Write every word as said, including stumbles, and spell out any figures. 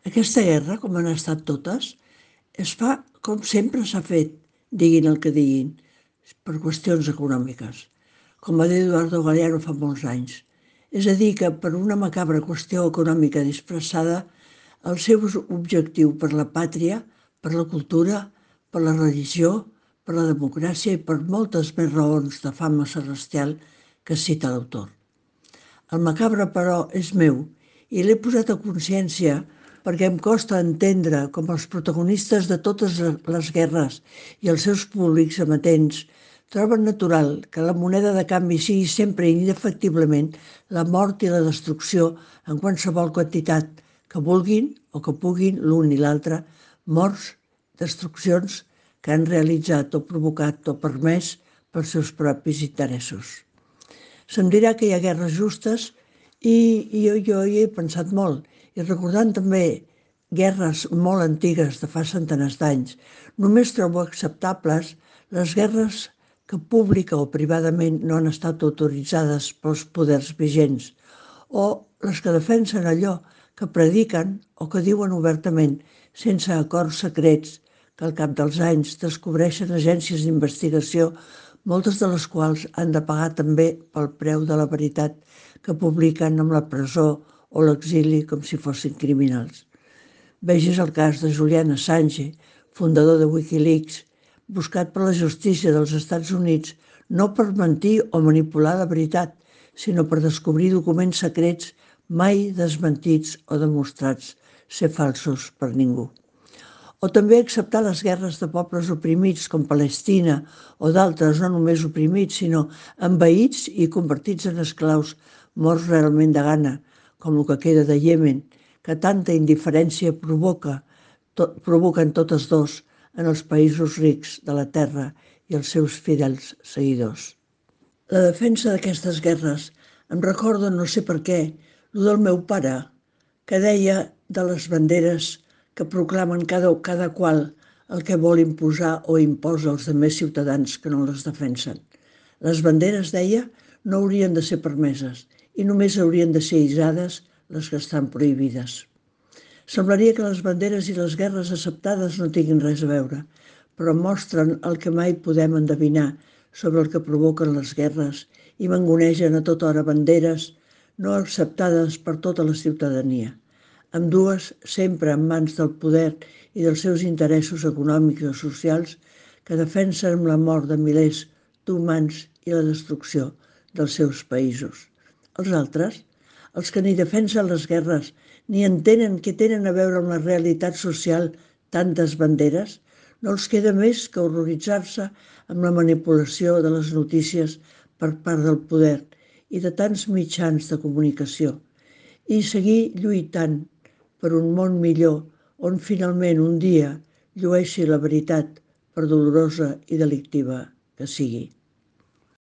Aquesta guerra, com han estat totes, es fa com sempre s'ha fet, diguin el que diguin, per qüestions econòmiques, com va dir Eduardo Galeano fa molts anys. És a dir, que per una macabra qüestió econòmica disfressada, el seu objectiu per la pàtria, per la cultura, per la religió, per la democràcia i per moltes més raons de fama celestial que cita l'autor. El macabre, però, és meu i l'he posat a consciència perquè em costa entendre com els protagonistes de totes les guerres i els seus públics amatents troben natural que la moneda de canvi sigui sempre i indefectiblement la mort i la destrucció en qualsevol quantitat que vulguin o que puguin l'un i l'altre, morts, destruccions que han realitzat o provocat o permès pels seus propis interessos. Se'm dirà que hi ha guerres justes i, i jo, jo hi he pensat molt. I recordant també guerres molt antigues de fa centenars d'anys, només trobo acceptables les guerres que pública o privadament no han estat autoritzades pels poders vigents o les que defensen allò que prediquen o que diuen obertament sense acords secrets que al cap dels anys descobreixen agències d'investigació, moltes de les quals han de pagar també pel preu de la veritat que publiquen amb la presó o l'exili com si fossin criminals. Vegis el cas de Julian Assange, fundador de Wikileaks, buscat per la justícia dels Estats Units no per mentir o manipular la veritat, sinó per descobrir documents secrets mai desmentits o demostrats ser falsos per ningú. O també acceptar les guerres de pobles oprimits com Palestina o d'altres no només oprimits, sinó envaïts i convertits en esclaus morts realment de gana, com el que queda de Iemen, que tanta indiferència provoca, to, provoquen totes dos en els països rics de la terra i els seus fidels seguidors. La defensa d'aquestes guerres em recorda, no sé per què, el del meu pare, que deia de les banderes que proclamen cada, cada qual el que vol imposar o imposa als demés ciutadans que no les defensen. Les banderes, deia, no haurien de ser permeses i només haurien de ser isades les que estan prohibides. Semblaria que les banderes i les guerres acceptades no tinguin res a veure, però mostren el que mai podem endevinar sobre el que provoquen les guerres i mangonegen a tota hora banderes no acceptades per tota la ciutadania, ambdues sempre en mans del poder i dels seus interessos econòmics o socials que defensen amb la mort de milers d'humans i la destrucció dels seus països. Els altres, els que ni defensen les guerres ni entenen què tenen a veure amb la realitat social tantes banderes, no els queda més que horroritzar-se amb la manipulació de les notícies per part del poder i de tants mitjans de comunicació i seguir lluitant per un món millor on finalment un dia llueixi la veritat, per dolorosa i delictiva que sigui.